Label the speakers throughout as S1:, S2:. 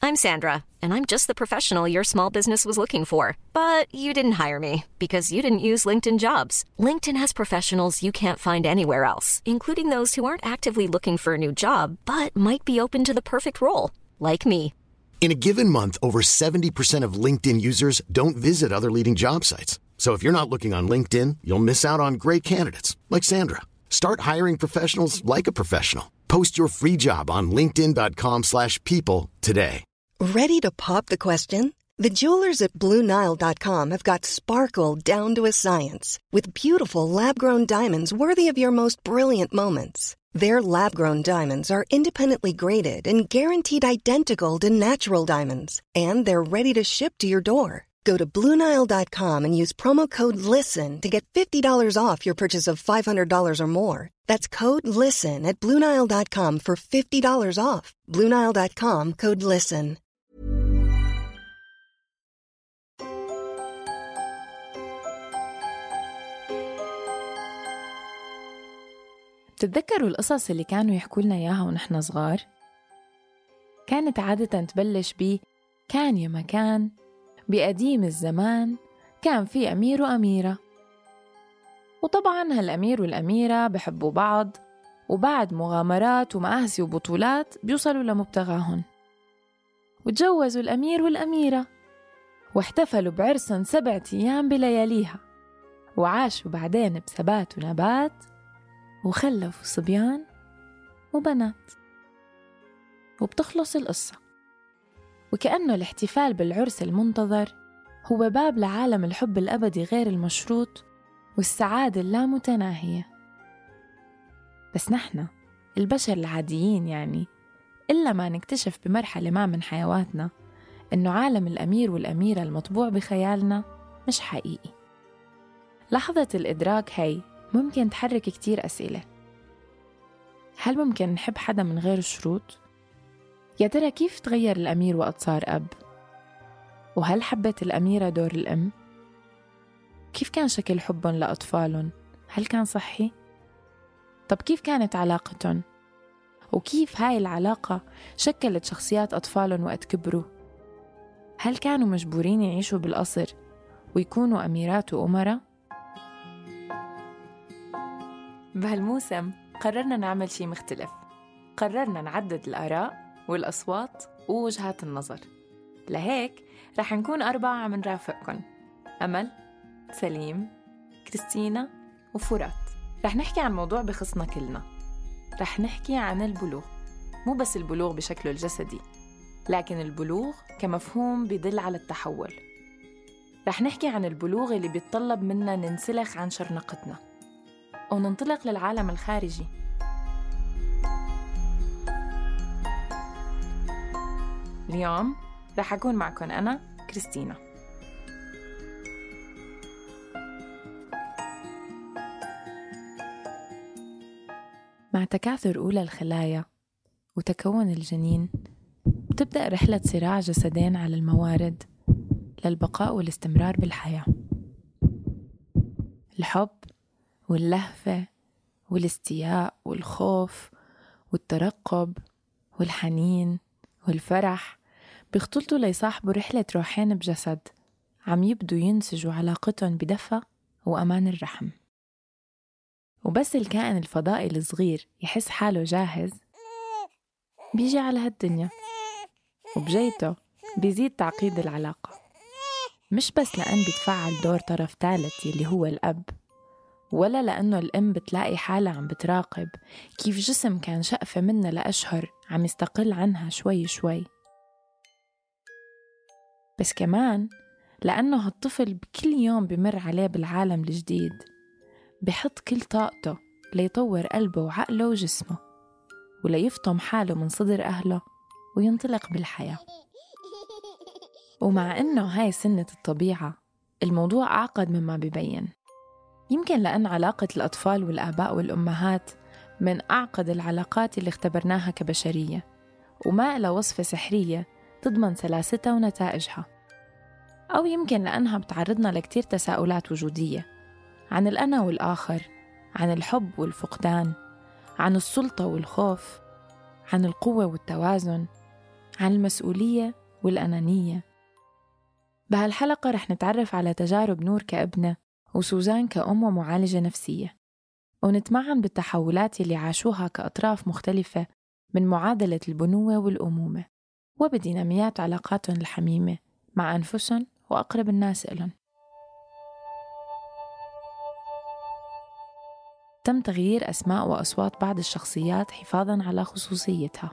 S1: I'm Sandra, and I'm just the professional your small business was looking for. But you didn't hire me because you didn't use LinkedIn Jobs. LinkedIn has professionals you can't find anywhere else, including those who aren't actively looking for a new job, but might be open to the perfect role, like me.
S2: In a given month, over 70% of LinkedIn users don't visit other leading job sites. So if you're not looking on LinkedIn, you'll miss out on great candidates like Sandra. Start hiring professionals like a professional. Post your free job on linkedin.com/people today.
S3: Ready to pop the question? The jewelers at BlueNile.com have got sparkle down to a science with beautiful lab-grown diamonds worthy of your most brilliant moments. Their lab-grown diamonds are independently graded and guaranteed identical to natural diamonds, and they're ready to ship to your door. Go to BlueNile.com and use promo code LISTEN to get $50 off your purchase of $500 or more. That's code LISTEN at BlueNile.com for $50 off. BlueNile.com, code LISTEN.
S4: بتتذكروا القصص اللي كانوا يحكوا لنا إياها ونحن صغار؟ كانت عادة تبلش كان يا مكان بقديم الزمان كان في أمير وأميرة، وطبعاً هالأمير والأميرة بحبوا بعض، وبعد مغامرات ومآسي وبطولات بيوصلوا لمبتغاهن، وتجوزوا الأمير والأميرة واحتفلوا بعرسهم 7 أيام بلياليها، وعاشوا بعدين بثبات ونبات وخلفوا صبيان وبنات. وبتخلص القصة، وكأنه الاحتفال بالعرس المنتظر هو باب لعالم الحب الأبدي غير المشروط والسعادة اللامتناهية. بس نحن البشر العاديين يعني إلا ما نكتشف بمرحلة ما من حيواتنا إنه عالم الأمير والأميرة المطبوع بخيالنا مش حقيقي. لحظة الإدراك هي ممكن تحرك كتير أسئلة. هل ممكن نحب حدا من غير شروط؟ يا ترى كيف تغير الأمير وقت صار أب؟ وهل حبت الأميرة دور الأم؟ كيف كان شكل حبهم لأطفالهم؟ هل كان صحي؟ طب كيف كانت علاقتهم؟ وكيف هاي العلاقة شكلت شخصيات أطفالهم وقت كبروا؟ هل كانوا مجبورين يعيشوا بالقصر ويكونوا أميرات وأمراء؟ بهالموسم قررنا نعمل شي مختلف. قررنا نعدد الآراء والأصوات ووجهات النظر. لهيك رح نكون 4 عم نرافقكن: أمل، سليم، كريستينا وفرات. رح نحكي عن موضوع بخصنا كلنا. رح نحكي عن البلوغ، مو بس البلوغ بشكله الجسدي، لكن البلوغ كمفهوم بيدل على التحول. رح نحكي عن البلوغ اللي بيتطلب منا ننسلخ عن شرنقتنا وننطلق للعالم الخارجي. اليوم رح أكون معكم أنا كريستينا. مع تكاثر أولى الخلايا وتكون الجنين بتبدأ رحلة صراع جسدين على الموارد للبقاء والاستمرار بالحياة. الحب واللهفة والاستياء والخوف والترقب والحنين والفرح بيختلطوا ليصاحبوا رحلة روحين بجسد عم يبدوا ينسجوا علاقتهم بدفى وأمان الرحم. وبس الكائن الفضائي الصغير يحس حاله جاهز بيجي على هالدنيا، وبجيته بيزيد تعقيد العلاقة، مش بس لأن بيتفعل دور طرف ثالث يلي هو الأب، ولا لأنه الأم بتلاقي حالها عم بتراقب كيف جسم كان شقفة منها لأشهر عم يستقل عنها شوي شوي، بس كمان لأنه هالطفل بكل يوم بمر عليه بالعالم الجديد بحط كل طاقته ليطور قلبه وعقله وجسمه وليفطم حاله من صدر أهله وينطلق بالحياة. ومع إنه هاي سنة الطبيعة، الموضوع أعقد مما بيبين. يمكن لأن علاقة الأطفال والآباء والأمهات من أعقد العلاقات اللي اختبرناها كبشرية، وما إلى وصفة سحرية تضمن سلاستها ونتائجها. أو يمكن لأنها بتعرضنا لكتير تساؤلات وجودية عن الأنا والآخر، عن الحب والفقدان، عن السلطة والخوف، عن القوة والتوازن، عن المسؤولية والأنانية. بهالحلقة رح نتعرف على تجارب نور كابنة وسوزان كأم ومعالجة نفسية، ونتمعن بالتحولات اللي عاشوها كأطراف مختلفة من معادلة البنوة والأمومة وبديناميات علاقاتهم الحميمة مع أنفسهم وأقرب الناس إلهم. تم تغيير أسماء وأصوات بعض الشخصيات حفاظاً على خصوصيتها.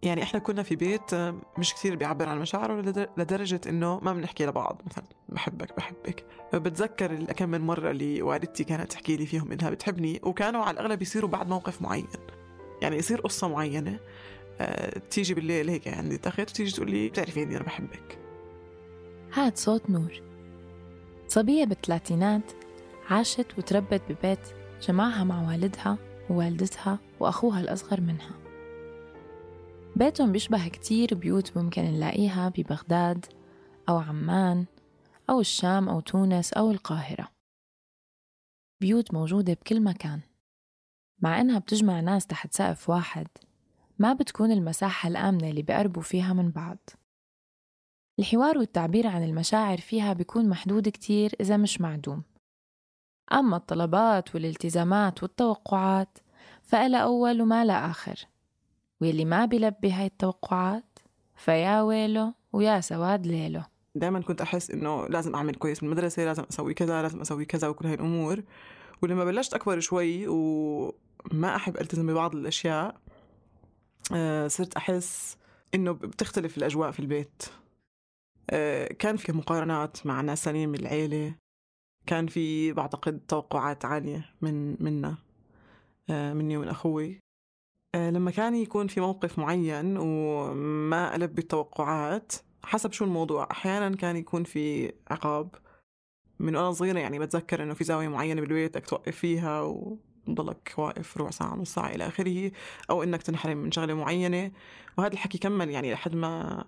S5: يعني إحنا كنا في بيت مش كتير بيعبر عن مشاعره لدرجة إنه ما بنحكي لبعض مثلا بحبك. بتذكر كم من مرة اللي والدتي كانت تحكي لي فيهم إنها بتحبني، وكانوا على الأغلب يصيروا بعد موقف معين، يعني يصير قصة معينة تيجي بالليل هيك عندي تخت وتيجي تقول لي بتعرفي إني أنا بحبك.
S4: هاد صوت نور، صبية بالثلاثينات عاشت وتربت ببيت جمعها مع والدها ووالدتها وأخوها الأصغر منها. بيتهم بيشبه كتير بيوت ممكن نلاقيها ببغداد أو عمان أو الشام أو تونس أو القاهرة، بيوت موجودة بكل مكان. مع إنها بتجمع ناس تحت سقف واحد، ما بتكون المساحة الآمنة اللي بيقربوا فيها من بعض. الحوار والتعبير عن المشاعر فيها بيكون محدود كتير إذا مش معدوم. أما الطلبات والالتزامات والتوقعات فإلا أول وما لا آخر، واللي ما بيلبي هاي التوقعات فيا ويله ويا سواد ليله.
S5: دائما كنت أحس إنه لازم أعمل كويس من المدرسة، لازم أسوي كذا، لازم أسوي كذا وكل هاي الأمور. ولما بلشت أكبر شوي وما أحب ألتزم ببعض الأشياء، صرت أحس إنه بتختلف الأجواء في البيت. كان في مقارنات مع ناس ثانيين من العيلة، كان في بعتقد توقعات عالية منا، مني ومن أخوي. لما كان يكون في موقف معين وما ألبي التوقعات حسب شو الموضوع، أحيانا كان يكون في عقاب. من وأنا صغيرة يعني بتذكر إنه في زاوية معينة بالبيت بدك توقف فيها وضلك واقف ربع ساعة نص ساعة إلى آخره، أو إنك تنحرم من شغلة معينة. وهذا الحكي كمل يعني لحد ما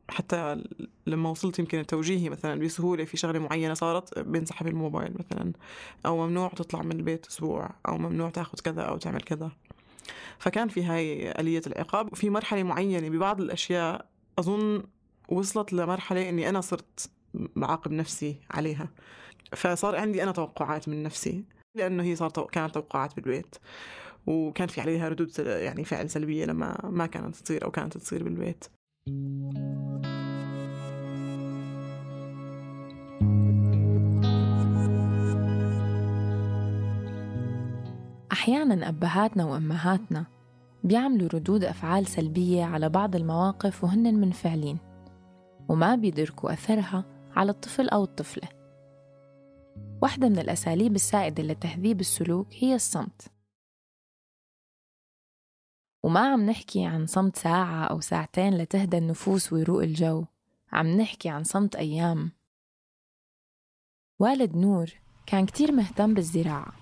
S5: حتى لما وصلت يمكن التوجيهي مثلا بسهولة في شغلة معينة صارت بينسحب الموبايل مثلا، أو ممنوع تطلع من البيت أسبوع، أو ممنوع تاخد كذا أو تعمل كذا. فكان في هاي آلية العقاب. وفي مرحلة معينة ببعض الأشياء أظن وصلت لمرحلة إني أنا صرت بعاقب نفسي عليها، فصار عندي أنا توقعات من نفسي، لأنه هي كانت توقعات بالبيت، وكان في عليها ردود يعني فعل سلبية لما ما كانت تصير أو كانت تصير بالبيت.
S4: أحياناً أبهاتنا وأمهاتنا بيعملوا ردود أفعال سلبية على بعض المواقف وهن منفعلين، وما بيدركوا أثرها على الطفل أو الطفلة. واحدة من الأساليب السائدة لتهذيب السلوك هي الصمت. وما عم نحكي عن صمت ساعة أو ساعتين لتهدى النفوس ويروق الجو، عم نحكي عن صمت أيام. والد نور كان كتير مهتم بالزراعة،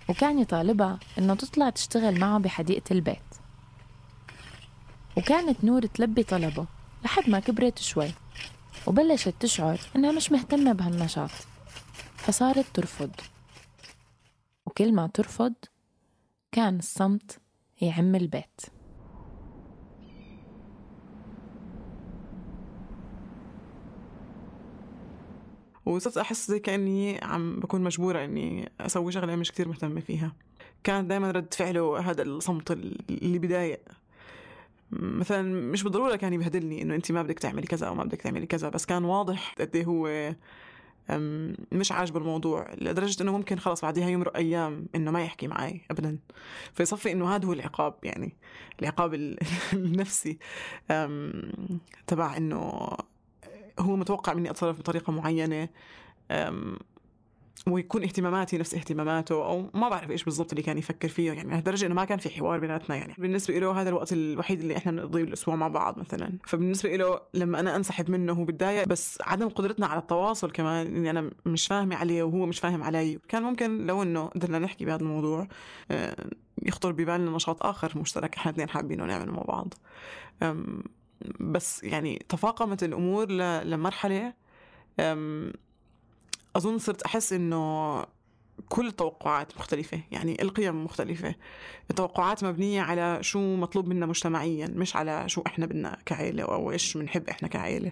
S4: وكان يطالبها إنه تطلع تشتغل معه بحديقة البيت، وكانت نور تلبي طلبه لحد ما كبرت شوي وبلشت تشعر إنها مش مهتمة بهالنشاط، فصارت ترفض. وكل ما ترفض كان الصمت يعم البيت.
S5: وصرت أحس زي كأني عم بكون مجبورة إني أسوي شغلة مش كتير مهتمة فيها. كان دايما رد فعله هذا الصمت اللي بضايق. مثلا مش بالضرورة كان يبهدلني إنه أنت ما بدك تعملي كذا أو ما بدك تعملي كذا، بس كان واضح قد إيه هو مش عاجب الموضوع، لدرجة إنه ممكن خلاص بعدها يمرق أيام إنه ما يحكي معي أبدا. فيصفي إنه هذا هو العقاب، يعني العقاب النفسي تبع إنه هو متوقع مني أتصرف بطريقة معينة ويكون اهتماماتي نفس اهتماماته، أو ما بعرف إيش بالضبط اللي كان يفكر فيه. يعني لدرجة إنه ما كان في حوار بيناتنا. يعني بالنسبة له هذا الوقت الوحيد اللي إحنا نقضيه بالأسبوع مع بعض مثلا، فبالنسبة له لما أنا أنسحب منه هو بتضايق. بس عدم قدرتنا على التواصل كمان، إني أنا مش فاهمة عليه وهو مش فاهم علي. كان ممكن لو إنه قدرنا نحكي بهذا الموضوع يخطر ببالنا نشاط آخر مشترك إحنا اثنين حابينه نعمله مع بعض. بس يعني تفاقمت الأمور لمرحلة أظن صرت أحس إنه كل التوقعات مختلفة، يعني القيم مختلفة، التوقعات مبنية على شو مطلوب منا مجتمعيا، مش على شو إحنا بدنا كعائلة أو إيش بنحب إحنا كعائلة.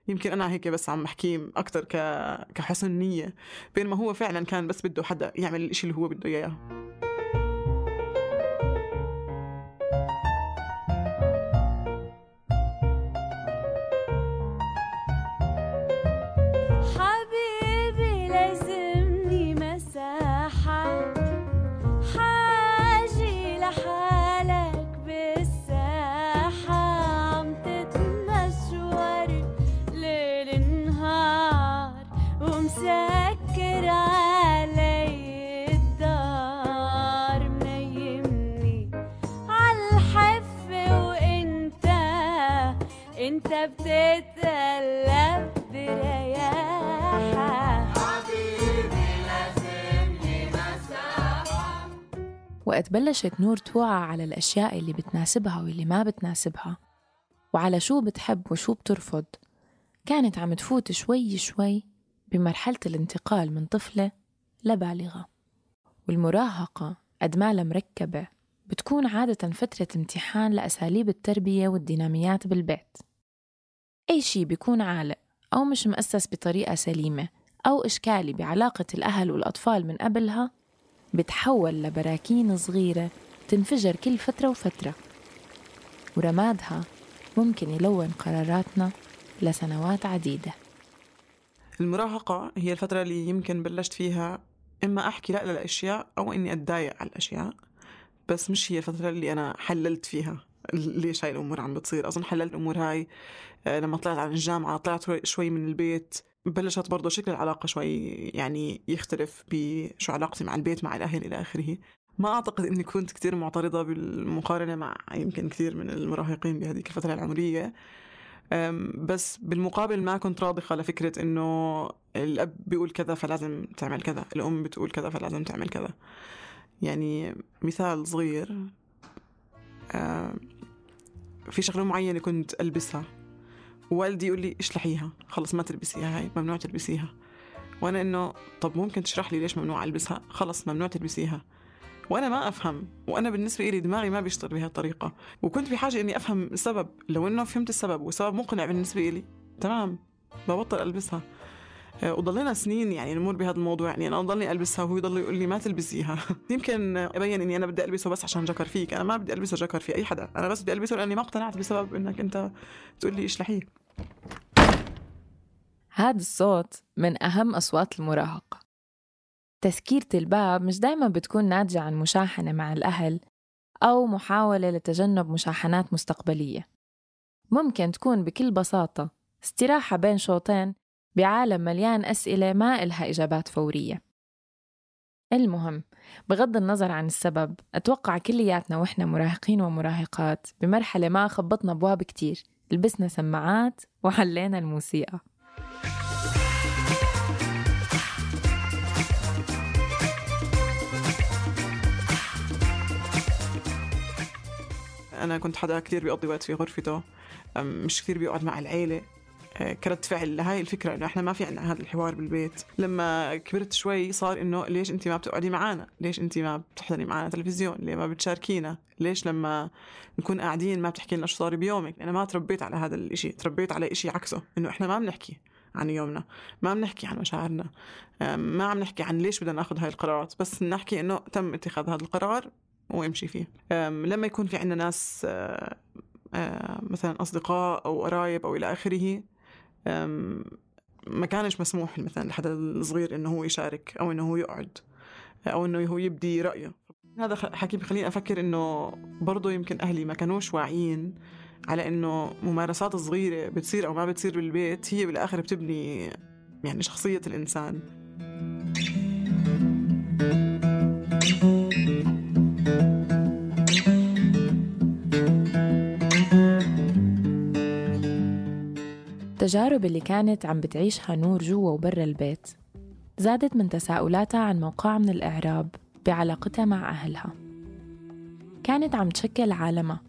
S5: يمكن أنا هيك بس عم بحكي أكتر كحسن نية، بينما هو فعلا كان بس بده حدا يعمل الإشي اللي هو بده إياه.
S6: انت بتتقلب برياحة حبيبي لازم لي مساحة.
S4: وقت بلشت نور توعى على الأشياء اللي بتناسبها واللي ما بتناسبها، وعلى شو بتحب وشو بترفض، كانت عم تفوت شوي شوي بمرحلة الانتقال من طفلة لبالغة. والمراهقة قد ما لها مركبة بتكون عادة فترة امتحان لأساليب التربية والديناميات بالبيت. أي شي بيكون عالق أو مش مؤسس بطريقة سليمة أو إشكالي بعلاقة الأهل والأطفال من قبلها بتحول لبراكين صغيرة تنفجر كل فترة وفترة، ورمادها ممكن يلون قراراتنا لسنوات عديدة.
S5: المراهقة هي الفترة اللي يمكن بلشت فيها إما أحكي لا للأشياء أو إني أتضايق على الأشياء، بس مش هي الفترة اللي أنا حللت فيها ليش هاي الأمور عم بتصير. أظن حللت الأمور هاي لما طلعت على الجامعة، طلعت شوي من البيت، بلشت برضو شكل العلاقة شوي يعني يختلف بشو علاقتي مع البيت مع الأهل إلى آخره. ما أعتقد إني كنت كتير معترضة بالمقارنة مع يمكن كثير من المراهقين بهذه الفترة العمرية، بس بالمقابل ما كنت راضخة لفكرة إنه الأب بيقول كذا فلازم تعمل كذا، الأم بتقول كذا فلازم تعمل كذا. يعني مثال صغير، في شغلة معينة كنت ألبسها ووالدي يقول لي اشلحيها، خلص ما تلبسيها، هاي ممنوع تلبسيها. وأنا إنه طب ممكن تشرح لي ليش ممنوع ألبسها؟ خلص ممنوع تلبسيها. وأنا ما أفهم، وأنا بالنسبة إلي دماغي ما بيشتغل بهذه الطريقة، وكنت بحاجة إني أفهم السبب. لو إنه فهمت السبب والسبب مقنع بالنسبة إلي تمام ببطل ألبسها. وضلينا سنين يعني نمر بهذا الموضوع، يعني أنا ضلني ألبسها وهو يضل يقول لي ما تلبسيها. يمكن أبين إني أنا بدي ألبسه بس عشان جكر فيك، أنا ما بدي ألبسه جكر في أي حدا، أنا بس بدي ألبسه لأني ما اقتنعت بسبب إنك أنت تقول لي اشلحيه.
S4: هذا الصوت من أهم أصوات المراهقة. تسكيرة الباب مش دايما بتكون ناتجة عن مشاحنة مع الأهل أو محاولة لتجنب مشاحنات مستقبلية. ممكن تكون بكل بساطة استراحة بين شوطين بعالم مليان أسئلة ما إلها إجابات فورية. المهم، بغض النظر عن السبب، أتوقع كلياتنا وإحنا مراهقين ومراهقات بمرحلة ما خبطنا أبواب كتير، لبسنا سماعات وحلينا الموسيقى.
S5: أنا كنت حدا كتير بيقضي وقت في غرفته، مش كتير بيقعد مع العيلة. كرد فعل لهاي الفكرة إنه إحنا ما في عنا هذا الحوار بالبيت. لما كبرت شوي صار إنه ليش أنتي ما بتقعدي معانا؟ ليش أنتي ما بتحضري معانا تلفزيون؟ ليه ما بتشاركينا؟ ليش لما نكون قاعدين ما بتحكي لنا شو صار بيومك؟ أنا ما تربيت على هذا الإشي، تربيت على إشي عكسه، إنه إحنا ما بنحكي عن يومنا، ما بنحكي عن مشاعرنا، ما عم نحكي عن ليش بدنا ناخد هاي القرارات، بس نحكي إنه تم اتخاذ هذا القرار وامشي فيه. لما يكون في عنا ناس مثلا أصدقاء أو قرايب أو إلى آخره، ما كانش مسموح مثلا لحدا الصغير إنه هو يشارك أو إنه هو يقعد أو إنه هو يبدي رأيه. هذا حكي بخليني أفكر إنه برضو يمكن أهلي ما كانوش واعيين على إنه ممارسات صغيرة بتصير أو ما بتصير بالبيت هي بالآخر بتبني يعني شخصية الإنسان.
S4: التجارب اللي كانت عم بتعيشها نور جوا وبرا البيت زادت من تساؤلاتها عن موقع من الإعراب بعلاقتها مع أهلها. كانت عم تشكل عالمها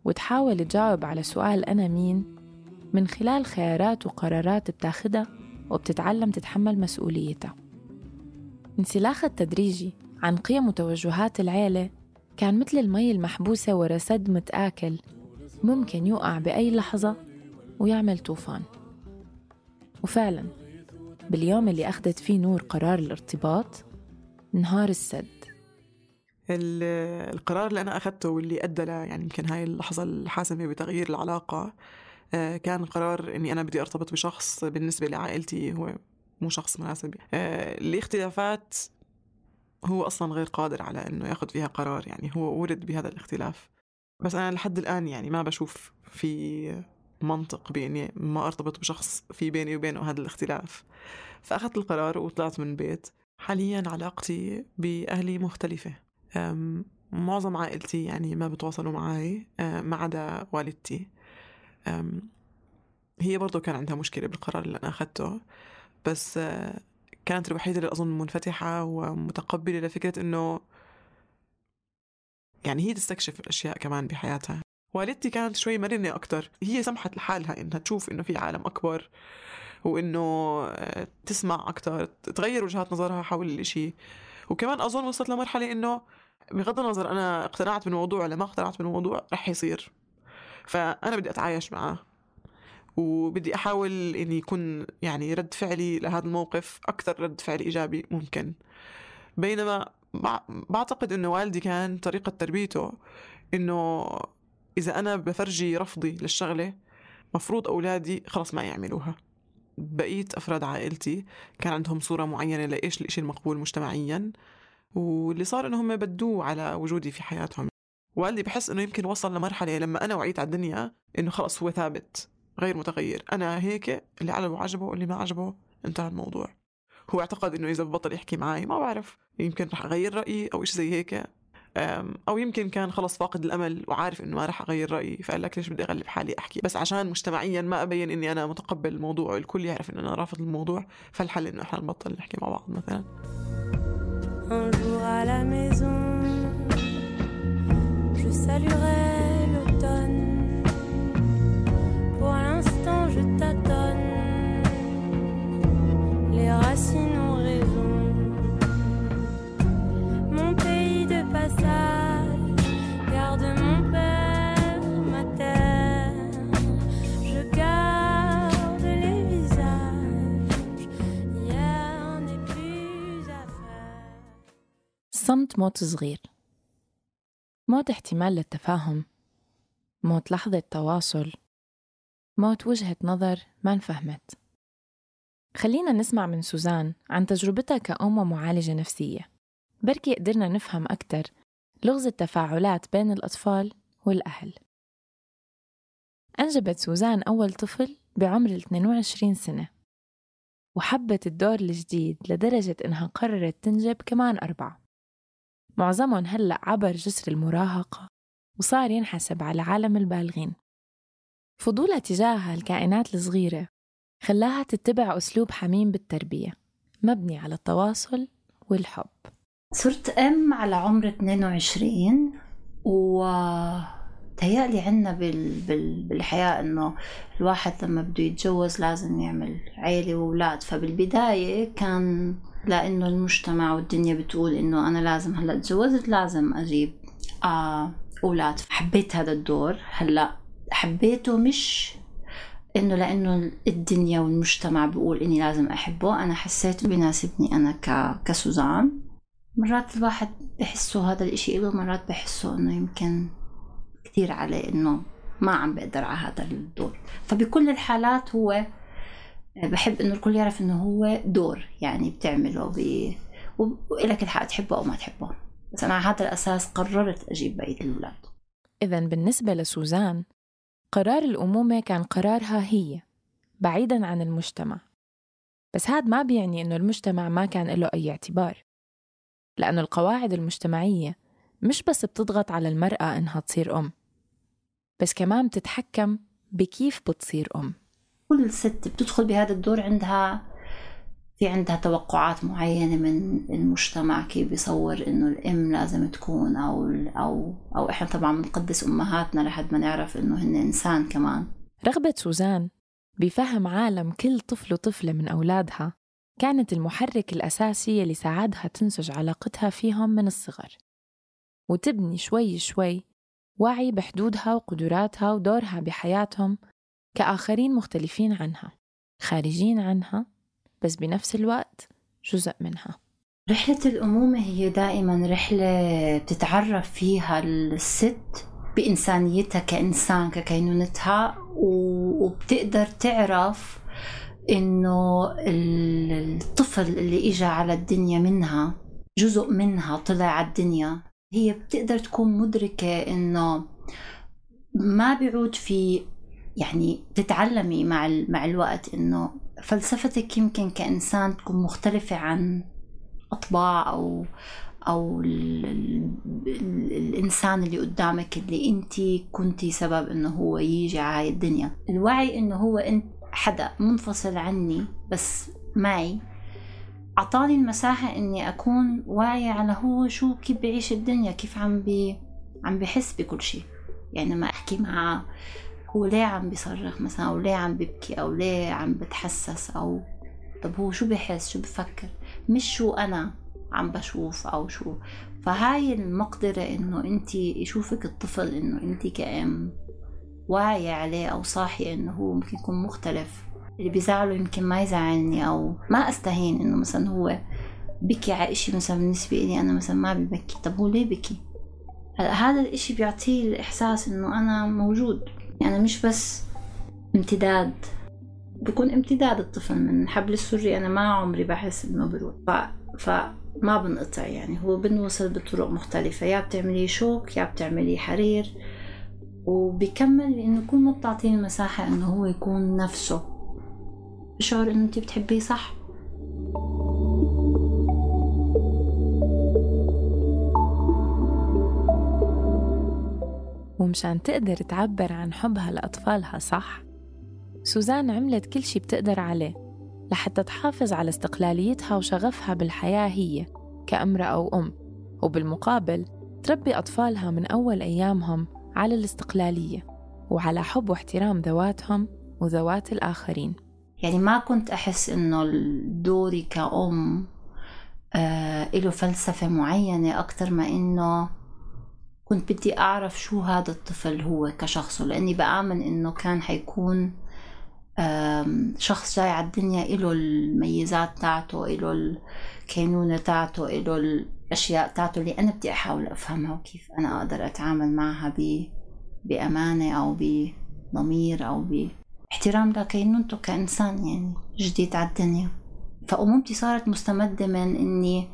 S4: وتحاول تجاوب على سؤال أنا مين من خلال خيارات وقرارات بتاخدها وبتتعلم تتحمل مسؤوليتها. انسلاخ التدريجي عن قيم وتوجهات العيلة كان مثل المي المحبوسة ورا سد متآكل، ممكن يوقع بأي لحظة ويعمل طوفان. وفعلاً باليوم اللي أخذت فيه نور قرار الارتباط انهار السد.
S5: القرار اللي أنا أخذته واللي أدى يعني يمكن هاي اللحظة الحاسمة بتغيير العلاقة كان قرار إني أنا بدي أرتبط بشخص بالنسبة لعائلتي هو مو شخص مناسب. الاختلافات هو أصلاً غير قادر على إنه يأخذ فيها قرار، يعني هو ولد بهذا الاختلاف. بس أنا لحد الآن يعني ما بشوف في منطق بإني ما أرتبط بشخص في بيني وبينه هذا الاختلاف. فأخذت القرار وطلعت من البيت. حالياً علاقتي بأهلي مختلفة. معظم عائلتي يعني ما بتواصلوا معي ما عدا والدتي. هي برضو كان عندها مشكلة بالقرار اللي أنا أخذته، بس كانت الوحيدة اللي أظن منفتحة ومتقبلة لفكرة إنه يعني هي تستكشف الأشياء كمان بحياتها. والدتي كانت شوي مرنة أكتر، هي سمحت لحالها إنها تشوف إنه في عالم أكبر وإنه تسمع أكتر، تغير وجهات نظرها حول الإشي. وكمان أظن وصلت لمرحلة إنه بغض النظر أنا اقتنعت بالموضوع ولا ما اقتنعت بالموضوع رح يصير، فأنا بدي أتعايش معه وبدي أحاول إني يكون يعني رد فعلي لهذا الموقف أكثر رد فعل إيجابي ممكن. بينما بعتقد إنه والدي كان طريقة تربيته إنه إذا أنا بفرجي رفضي للشغلة مفروض أولادي خلص ما يعملوها. بقية أفراد عائلتي كان عندهم صورة معينة لإيش الإشي المقبول مجتمعياً، واللي صار إنهم بدوه على وجودي في حياتهم. والدي بحس إنه يمكن وصل لمرحلة لما أنا وعيت على الدنيا إنه خلص هو ثابت غير متغير، أنا هيك، اللي عجبه واللي ما عجبه انتهى الموضوع. هو اعتقد إنه إذا ببطل يحكي معي ما بعرف يمكن رح أغير رأيي أو إيش زي هيك، أو يمكن كان خلص فاقد الأمل وعارف إنه ما رح أغير رأيي فقال لك ليش بدي أغلب حالي أحكي بس عشان مجتمعيا ما أبين إني أنا متقبل الموضوع والكل يعرف إن أنا رافض الموضوع، فالحل إنه إحنا نبطل نحكي مع بعض مثلا.
S6: Un jour à la maison, je saluerai l'automne. Pour l'instant, je tâtonne. Les racines ont raison. Mon pays de passage garde mon père, ma terre. Je garde les visages. Hier n'est plus à faire.
S4: صمت موت صغير، موت احتمال للتفاهم، موت لحظة تواصل، موت وجهة نظر ما انفهمت. خلينا نسمع من سوزان عن تجربتها كأم ومعالجة نفسية، بركي قدرنا نفهم أكتر لغز التفاعلات بين الأطفال والأهل. أنجبت سوزان أول طفل بعمر 22 سنة، وحبت الدور الجديد لدرجة إنها قررت تنجب كمان 4. معظمهم هلأ عبر جسر المراهقة وصار ينحسب على عالم البالغين. فضولها تجاه الكائنات الصغيرة خلاها تتبع أسلوب حميم بالتربية مبني على التواصل والحب.
S7: صرت أم على عمر 22 وتهيألي عنا بالحياة إنه الواحد لما بده يتجوز لازم يعمل عيلة وولاد. فبالبداية كان لأنه المجتمع والدنيا بتقول إنه أنا لازم هلأ تجوزت لازم أجيب أولاد. حبيت هذا الدور. هلأ حبيته مش إنه لأنه الدنيا والمجتمع بيقول إني لازم أحبه، أنا حسيت بيناسبني أنا كسوزان. مرات الواحد بحسه هذا الإشي إله، مرات بحسه إنه يمكن كتير عليه إنه ما عم بقدر على هذا الدور. فبكل الحالات هو بحب إنه الكل يعرف إنه هو دور يعني بتعمله وإلك الحق تحبه أو ما تحبه. بس أنا على هذا الأساس قررت أجيب بقية الأولاد.
S4: إذن بالنسبة لسوزان قرار الأمومة كان قرارها هي بعيداً عن المجتمع. بس هذا ما بيعني إنه المجتمع ما كان له أي اعتبار، لأنه القواعد المجتمعية مش بس بتضغط على المرأة إنها تصير أم، بس كمان بتتحكم بكيف بتصير أم.
S7: كل ست بتدخل بهذا الدور عندها توقعات معينة من المجتمع، كيف بيصور إنه الأم لازم تكون أو إحنا طبعاً بنقدس أمهاتنا لحد ما نعرف إنه هن إنسان كمان.
S4: رغبة سوزان بفهم عالم كل طفل وطفلة من أولادها كانت المحرك الأساسي اللي ساعدها تنسج علاقتها فيهم من الصغر، وتبني شوي شوي وعي بحدودها وقدراتها ودورها بحياتهم كآخرين مختلفين عنها، خارجين عنها، بس بنفس الوقت جزء منها.
S7: رحلة الأمومة هي دائما رحلة بتتعرف فيها الست بإنسانيتها كإنسان ككينونتها، وبتقدر تعرف إنه الطفل اللي إجا على الدنيا منها جزء منها طلع على الدنيا. هي بتقدر تكون مدركة إنه ما بيعود في، يعني تتعلمي مع الوقت إنه فلسفتك يمكن كإنسان تكون مختلفة عن أطباع أو الإنسان اللي قدامك اللي أنتي كنتي سبب إنه هو يجي على الدنيا. الوعي إنه هو أنت حدا منفصل عني بس معي أعطاني المساحة إني أكون واعية على هو شو كيف بعيش الدنيا، كيف عم بحس بكل شيء. يعني ما أحكي معه هو ليه عم بيصرخ مثلا، أو ليه عم ببكي، أو ليه عم بتحسس، أو طب هو شو بحس شو بفكر، مش شو أنا عم بشوف أو شو. فهاي المقدرة إنه أنتي يشوفك الطفل إنه أنتي كأم واعية عليه أو صاحية إنه هو ممكن يكون مختلف، اللي بيزعله يمكن ما يزعلني، أو ما أستهين إنه مثلا هو بكي على إشي مثلا بالنسبة لي أنا مثلا ما ببكي، طب هو ليه بكي؟ هذا الإشي بيعطيه الإحساس إنه أنا موجود. يعني مش بس امتداد، بيكون امتداد الطفل من حبل السري. أنا ما عمري بحس إنه بروح فما بنقطع، يعني هو بنوصل بطرق مختلفة، يا بتعملي شوك يا بتعملي حرير، وبيكمل إنه يكون ما بتعطيه المساحة إنه هو يكون نفسه، بشعر إنه أنت بتحبيه صح.
S4: ومشان تقدر تعبر عن حبها لأطفالها صح، سوزان عملت كل شي بتقدر عليه لحتى تحافظ على استقلاليتها وشغفها بالحياة هي كأمرأة أو أم، وبالمقابل تربي أطفالها من أول أيامهم على الاستقلالية وعلى حب واحترام ذواتهم وذوات الآخرين.
S7: يعني ما كنت أحس إنه دوري كأم له فلسفة معينة أكتر ما إنه كنت بدي أعرف شو هذا الطفل هو كشخصه، لأني بآمن إنه كان حيكون شخص جاي على الدنيا إله الميزات تاعته، إله الكينونة تاعته، إله الأشياء تاعته اللي أنا بدي أحاول أفهمها وكيف أنا أقدر أتعامل معها بأمانة أو بضمير أو باحترام لكينونته كإنسان يعني جديد على الدنيا. فأمومتي صارت مستمدة من إني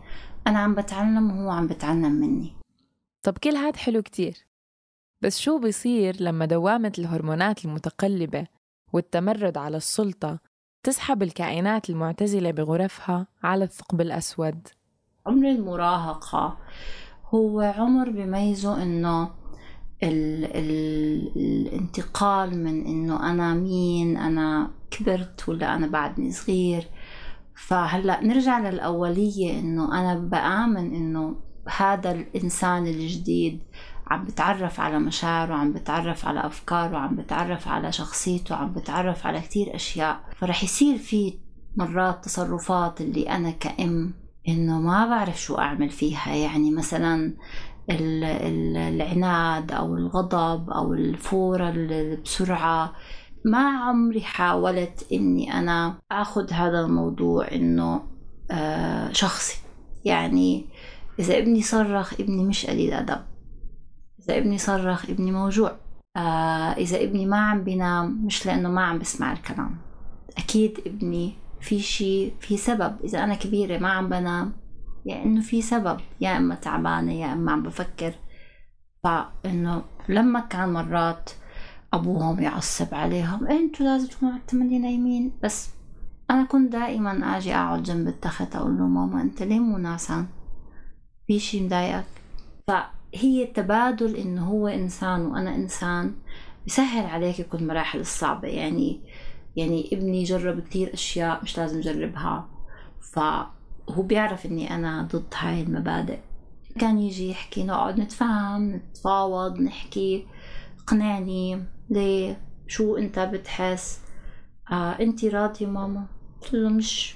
S7: أنا عم بتعلم وهو عم بتعلم مني.
S4: طب كل هاد حلو كتير، بس شو بيصير لما دوامة الهرمونات المتقلبة والتمرد على السلطة تسحب الكائنات المعتزلة بغرفها على الثقب الأسود؟
S7: عمر المراهقة هو عمر بيميزه إنه الانتقال من إنه أنا مين، أنا كبرت ولا أنا بعدني صغير. فهلأ نرجع للأولية إنه أنا بآمن إنه هذا الإنسان الجديد عم بتعرف على مشاعره، عم بتعرف على أفكاره، عم بتعرف على شخصيته، عم بتعرف على كتير أشياء. فرح يصير في مرات تصرفات اللي أنا كأم إنه ما بعرف شو أعمل فيها. يعني مثلا العناد أو الغضب أو الفورة بسرعة، ما عمري حاولت إني أنا أخذ هذا الموضوع إنه شخصي. يعني إذا ابني صرخ ابني مش قليل أدب، إذا ابني صرخ ابني موجوع، إذا ابني ما عم بينام مش لأنه ما عم بسمع الكلام، أكيد ابني في شيء، في سبب. إذا أنا كبيرة ما عم بنام يعني إنه في سبب، يا إما تعبانة يا إما عم بفكر. فإنه لما كان مرات أبوهم يعصب عليهم أنتوا لازم تكونوا على نايمين، بس أنا كنت دائما أجي أقعد جنب التخت أقول له ماما أنت ليه مو ناسان، في شيء مضايقك؟ فهي التبادل إنه هو إنسان وأنا إنسان بيسهل عليك كل المراحل الصعبة. يعني ابني جرب كتير أشياء مش لازم جربها، فهو بيعرف إني أنا ضد هاي المبادئ. كان يجي يحكي نقعد نتفاهم نتفاوض نحكي، اقنعني ليه، شو أنت بتحس، أنتي راضية ماما، قلت له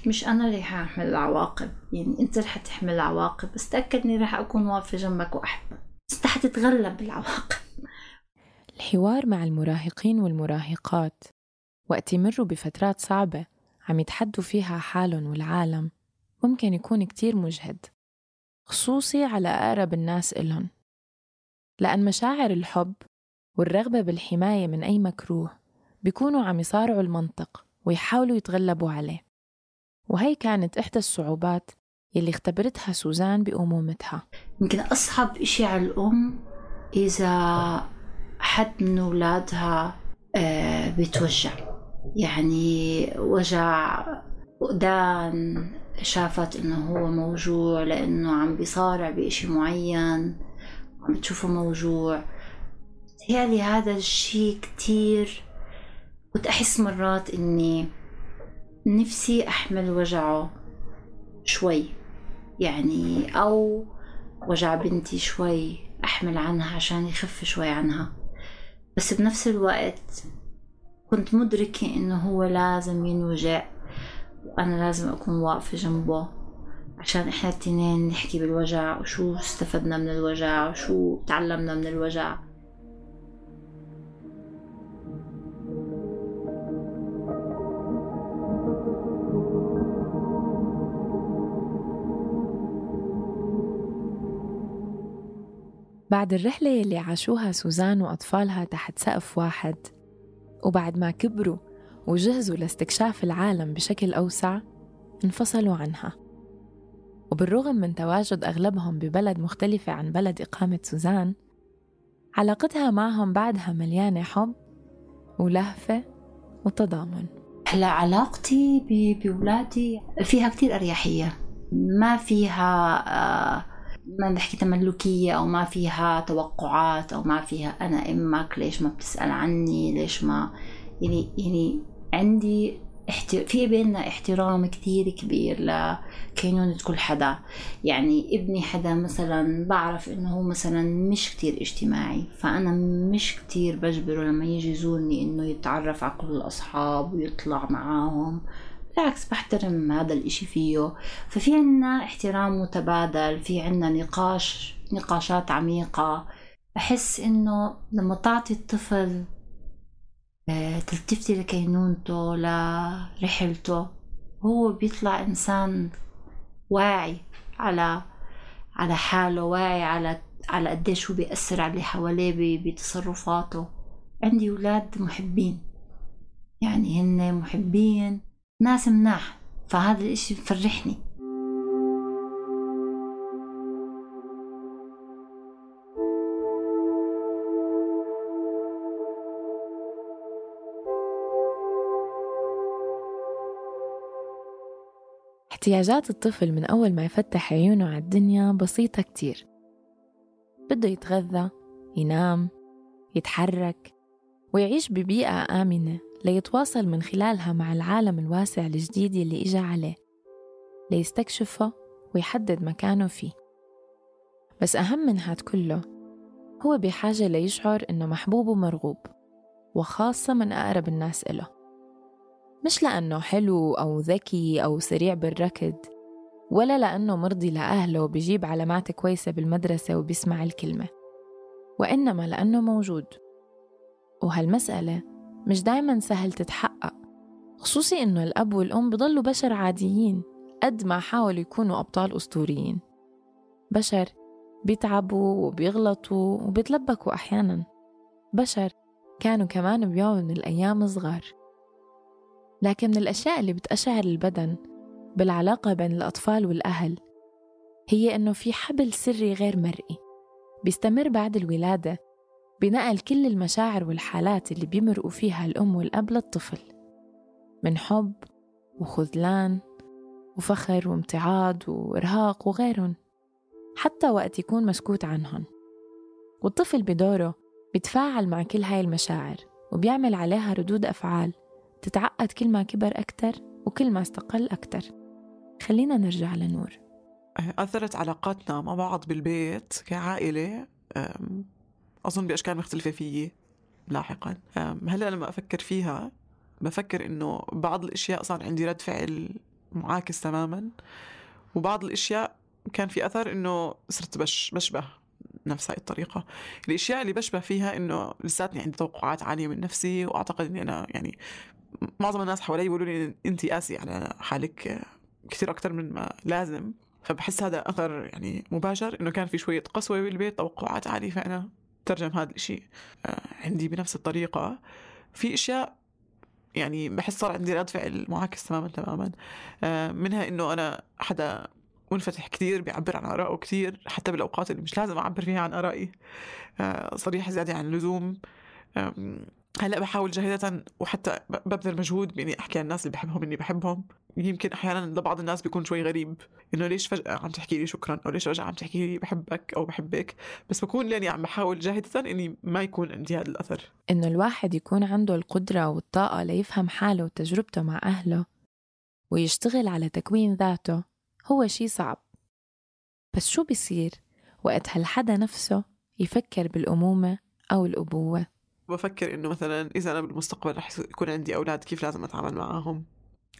S7: مش أنا اللي هحمل العواقب، يعني أنت رح تحمل العواقب، بس تأكد إني رح أكون واقفة جنبك وأحبك، بس رح تتغلب بالعواقب.
S4: الحوار مع المراهقين والمراهقات وقت يمروا بفترات صعبة عم يتحدوا فيها حالهم والعالم ممكن يكون كتير مجهد، خصوصي على أقرب الناس إلهم، لأن مشاعر الحب والرغبة بالحماية من أي مكروه بيكونوا عم يصارعوا المنطق ويحاولوا يتغلبوا عليه. وهي كانت إحدى الصعوبات يلي اختبرتها سوزان بأمومتها.
S7: يمكن أصعب إشي على الأم إذا حد من أولادها بيتوجع، يعني وجع فقدان، شافت إنه هو موجوع لأنه عم بيصارع بإشي معين، عم بتشوفه موجوع. يعني هذا الشيء كتير كنت أحس مرات إني نفسي أحمل وجعه شوي، يعني أو وجع بنتي شوي أحمل عنها عشان يخف شوي عنها، بس بنفس الوقت كنت مدركة إنه هو لازم ينوجع وأنا لازم أكون واقفة جنبه عشان إحنا التنين نحكي بالوجع وشو استفدنا من الوجع وشو تعلمنا من الوجع.
S4: بعد الرحلة اللي عاشوها سوزان وأطفالها تحت سقف واحد، وبعد ما كبروا وجهزوا لاستكشاف العالم بشكل أوسع، انفصلوا عنها. وبالرغم من تواجد أغلبهم ببلد مختلفة عن بلد إقامة سوزان، علاقتها معهم بعدها مليانة حب ولهفة وتضامن.
S7: هلا علاقتي بولادي فيها كتير أريحية، ما فيها ما نحكي تملكية، أو ما فيها توقعات، أو ما فيها أنا أمك ليش ما بتسأل عني، ليش ما يعني عندي في بيننا احترام كتير كبير لكينونة كل حدا. يعني ابني حدا مثلا بعرف إنه هو مثلا مش كتير اجتماعي، فأنا مش كتير بجبره لما يجي يزورني إنه يتعرف على كل الأصحاب ويطلع معاهم، بالعكس بحترم هذا الاشي فيه. ففي عنا احترام متبادل، في عنا نقاشات عميقة. أحس إنه لما تعطي الطفل تلتفتي لكينونته لرحلته، هو بيطلع إنسان واعي على حاله، واعي على قديش هو بيأثر على اللي حواليه بتصرفاته. عندي أولاد محبين، يعني هن محبين، ناس مناح، فهذا الاشي بفرحني.
S4: احتياجات الطفل من أول ما يفتح عيونه على الدنيا بسيطة كتير. بده يتغذى، ينام، يتحرك، ويعيش ببيئة آمنة ليتواصل من خلالها مع العالم الواسع الجديد اللي إجا عليه، ليستكشفه ويحدد مكانه فيه. بس أهم من هاد كله، هو بحاجة ليشعر إنه محبوب ومرغوب، وخاصة من أقرب الناس إله، مش لأنه حلو أو ذكي أو سريع بالركض، ولا لأنه مرضي لأهله وبيجيب علامات كويسة بالمدرسة وبيسمع الكلمة، وإنما لأنه موجود. وهالمسألة مش دايماً سهل تتحقق، خصوصي إنه الأب والأم بضلوا بشر عاديين قد ما حاولوا يكونوا أبطال أسطوريين، بشر بيتعبوا وبيغلطوا وبيتلبكوا أحياناً، بشر كانوا كمان بيوم من الأيام صغار. لكن من الأشياء اللي بتأشعر البدن بالعلاقة بين الأطفال والأهل هي إنه في حبل سري غير مرئي بيستمر بعد الولادة بنقل كل المشاعر والحالات اللي بيمرقوا فيها الأم والأب للطفل، من حب وخذلان وفخر وامتعاض وإرهاق وغيرهم، حتى وقت يكون مسكوت عنهم. والطفل بدوره بيتفاعل مع كل هاي المشاعر وبيعمل عليها ردود أفعال تتعقد كل ما كبر أكتر وكل ما استقل أكتر. خلينا نرجع لنور.
S5: أثرت علاقاتنا مع بعض بالبيت كعائلة أظن بأشكال مختلفة فيي لاحقا. هلأ لما أفكر فيها بفكر إنه بعض الأشياء صار عندي رد فعل معاكس تماماً، وبعض الأشياء كان في أثر إنه صرت بشبه نفس هاي الطريقة. الأشياء اللي بشبه فيها إنه لساتني عندي توقعات عالية من نفسي، وأعتقد إني أنا يعني معظم الناس حوالي يقولوا لي أنتي قاسي على حالك كثير أكتر من ما لازم. فبحس هذا أثر يعني مباشر إنه كان في شوية قسوة بالبيت، توقعات عالية، فأنا ترجم هذا الشيء عندي بنفس الطريقة. في أشياء يعني بحس صار عندي رد فعل معاكس تماما منها إنه أنا حدا منفتح كتير، بيعبر عن آرائه كتير حتى بالأوقات اللي مش لازم أعبر فيها عن آرائي، صريح زيادة عن اللزوم. هلأ بحاول جاهدة وحتى ببذل مجهود بإني أحكي عن الناس اللي بحبهم إني بحبهم. يمكن أحيانا لبعض الناس بيكون شوي غريب إنه ليش فجأة عم تحكي لي شكرا، أو ليش فجأة عم تحكي لي بحبك أو بحبك، بس بكون لاني عم بحاول جاهدة إني ما يكون عندي هذا الأثر.
S4: إنه الواحد يكون عنده القدرة والطاقة ليفهم حاله وتجربته مع أهله ويشتغل على تكوين ذاته هو شيء صعب. بس شو بيصير وقت هالحدا نفسه يفكر بالأمومة أو الأبوة؟
S5: بفكر إنه مثلا إذا أنا بالمستقبل رح يكون عندي أولاد، كيف لازم أتعامل معهم؟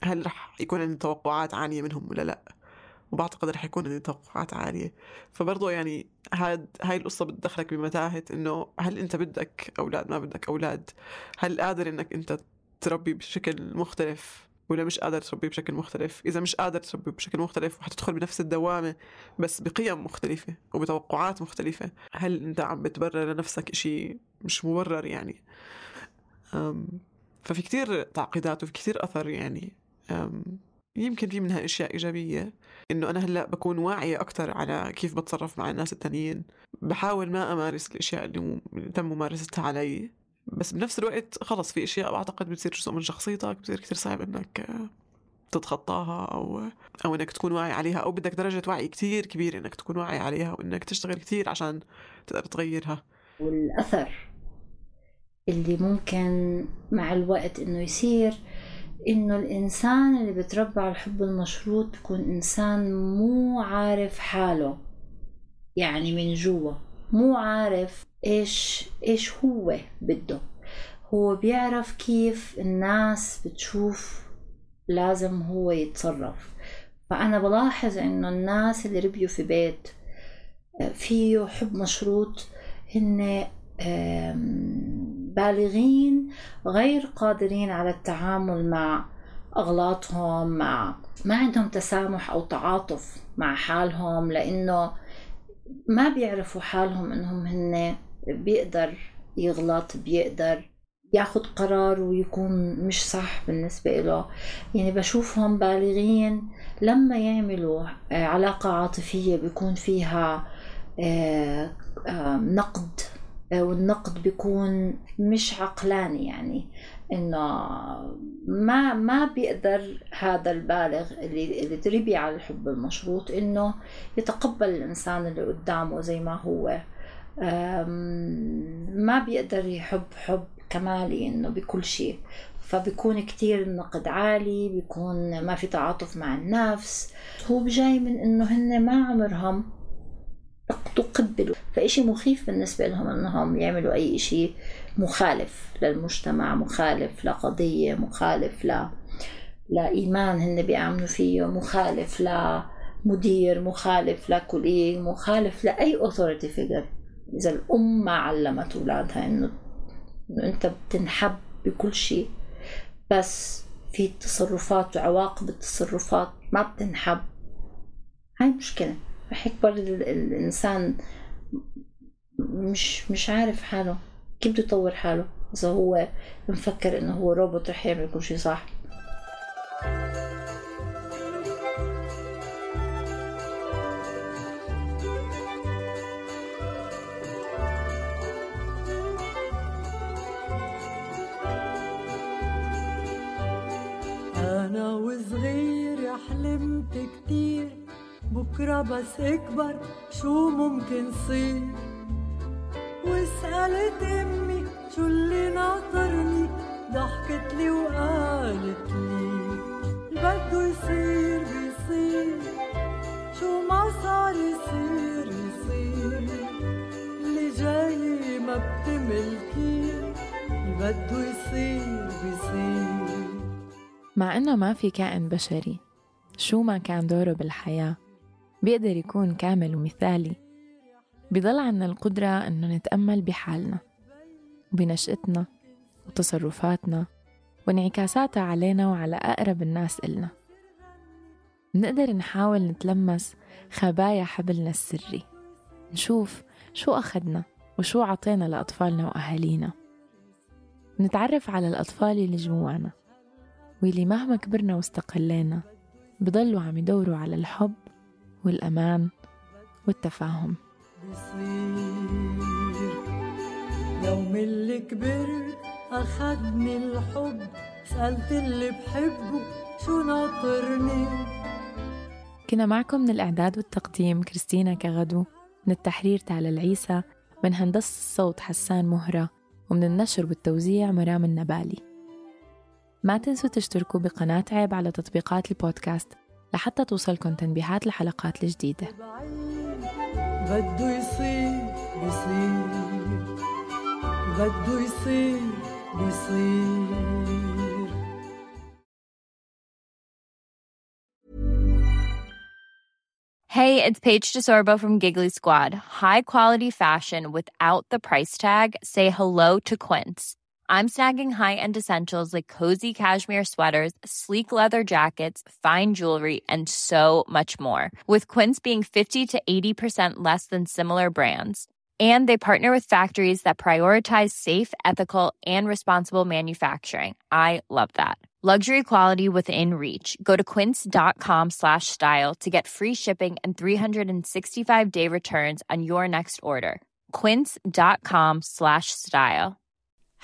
S5: هل رح يكون عندي توقعات عالية منهم ولا لأ؟ وبعتقد رح يكون عندي توقعات عالية. فبرضو يعني هاي القصة بتدخلك بمتاهة إنه هل أنت بدك أولاد، ما بدك أولاد؟ هل قادر إنك أنت تربي بشكل مختلف ولا مش قادر تربي بشكل مختلف؟ إذا مش قادر تربي بشكل مختلف وحتدخل بنفس الدوامة بس بقيم مختلفة وبتوقعات مختلفة، هل أنت عم بتبرر لنفسك إشي مش مبرر يعني؟ ففي كتير تعقيدات وفي كتير أثر يعني. يمكن في منها أشياء إيجابية، إنه أنا هلأ بكون واعية أكتر على كيف بتصرف مع الناس التانيين، بحاول ما أمارس الأشياء اللي تم ممارستها علي، بس بنفس الوقت خلص في أشياء أعتقد بتصير جزء من شخصيتك، بتصير كتير صعب إنك تتخطاها أو إنك تكون واعي عليها، أو بدك درجة وعي كتير كبير إنك تكون واعي عليها وإنك تشتغل كتير عشان تقدر تغيرها.
S7: والأثر اللي ممكن مع الوقت إنه يصير إنه الإنسان اللي بتربى على الحب المشروط بيكون إنسان مو عارف حاله، يعني من جوا مو عارف إيش هو بده. هو بيعرف كيف الناس بتشوف لازم هو يتصرف. فأنا بلاحظ إنه الناس اللي ربيوا في بيت فيه حب مشروط هن بالغين غير قادرين على التعامل مع أغلاطهم، ما عندهم تسامح أو تعاطف مع حالهم، لأنه ما بيعرفوا حالهم إنهم هن بيقدر يغلط، بيقدر ياخد قرار ويكون مش صح بالنسبة له. يعني بشوفهم بالغين لما يعملوا علاقة عاطفية بيكون فيها نقد، والنقد بيكون مش عقلاني، يعني إنه ما بيقدر هذا البالغ اللي تربي على الحب المشروط إنه يتقبل الإنسان اللي قدامه زي ما هو. ما بيقدر يحب حب كمالي إنه بكل شيء، فبيكون كتير النقد عالي، بيكون ما في تعاطف مع النفس. هو بجاي من إنه هن ما عمرهم تقبلوا، فإشي مخيف بالنسبة لهم إنهم يعملوا أي إشي مخالف للمجتمع، مخالف لقضية، مخالف لإيمان هن بيعملوا فيه، مخالف لمدير، مخالف لكوليج، مخالف لأي authority figure. إذا الأم ما علمت أولادها إنه أنت بتنحب بكل شيء، بس في تصرفات وعواقب التصرفات ما بتنحب، هاي مشكلة. رح يكبر الإنسان مش عارف حاله، كيف بده يطور حاله إذا هو مفكر إنه هو روبوت رح يعمل كل شيء صح.
S6: أنا وصغير حلمت كتير بكرة بس اكبر شو ممكن صير، وسألت امي شو اللي ناطرني، ضحكت لي وقالت لي بده يصير بيصير، شو ما صار يصير يصير، اللي جاي ما بتملكي بده يصير بيصير.
S4: مع إنه ما في كائن بشري شو ما كان دوره بالحياة بيقدر يكون كامل ومثالي، بيضل عنا القدرة إنه نتأمل بحالنا وبنشأتنا وتصرفاتنا وانعكاساتها علينا وعلى أقرب الناس إلنا. نقدر نحاول نتلمس خبايا حبلنا السري، نشوف شو أخدنا وشو عطينا لأطفالنا وأهالينا، نتعرف على الأطفال اللي جوانا واللي مهما كبرنا واستقلينا بضلوا عم يدوروا على الحب والأمان والتفاهم.
S6: يوم اللي كبرت أخدني الحب، سألت اللي بحبه شو ناطرني.
S4: كنا معكم من الإعداد والتقديم كريستينا كغدو، من التحرير تالا العيسى، من هندسة الصوت حسان مهرة، ومن النشر والتوزيع مرام النبالي. ما تنسوا تشتركوا بقناة عيب على تطبيقات البودكاست لحتى توصلكم تنبيهات الحلقات الجديدة.
S6: بده يصير بيصير، بده يصير بيصير.
S8: Hey, it's Paige DeSorbo from Giggly Squad. High quality fashion without the price tag. Say hello to Quince. I'm snagging high-end essentials like cozy cashmere sweaters, sleek leather jackets, fine jewelry, and so much more. With Quince being 50 to 80% less than similar brands. And they partner with factories that prioritize safe, ethical, and responsible manufacturing. I love that. Luxury quality within reach. Go to quince.com/style to get free shipping and 365-day returns on your next order. Quince.com/style.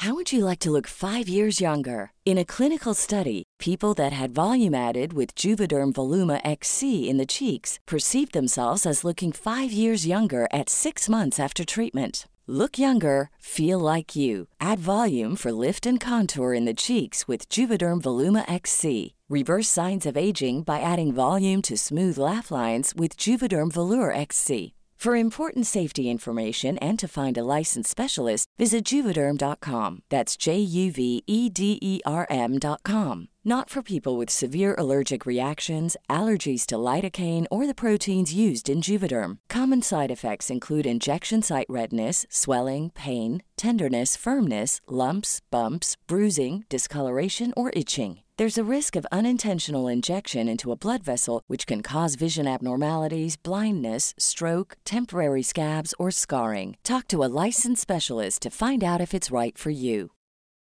S9: How would you like to look 5 years younger? In a clinical study, people that had volume added with Juvederm Voluma XC in the cheeks perceived themselves as looking 5 years younger at 6 months after treatment. Look younger, feel like you. Add volume for lift and contour in the cheeks with Juvederm Voluma XC. Reverse signs of aging by adding volume to smooth laugh lines with Juvederm Volure XC. For important safety information and to find a licensed specialist, visit Juvederm.com. That's JUVEDERM.com. Not for people with severe allergic reactions, allergies to lidocaine, or the proteins used in Juvederm. Common side effects include injection site redness, swelling, pain, tenderness, firmness, lumps, bumps, bruising, discoloration, or itching. There's a risk of unintentional injection into a blood vessel, which can cause vision abnormalities, blindness, stroke, temporary scabs, or scarring. Talk to a licensed specialist to find out if it's right for you.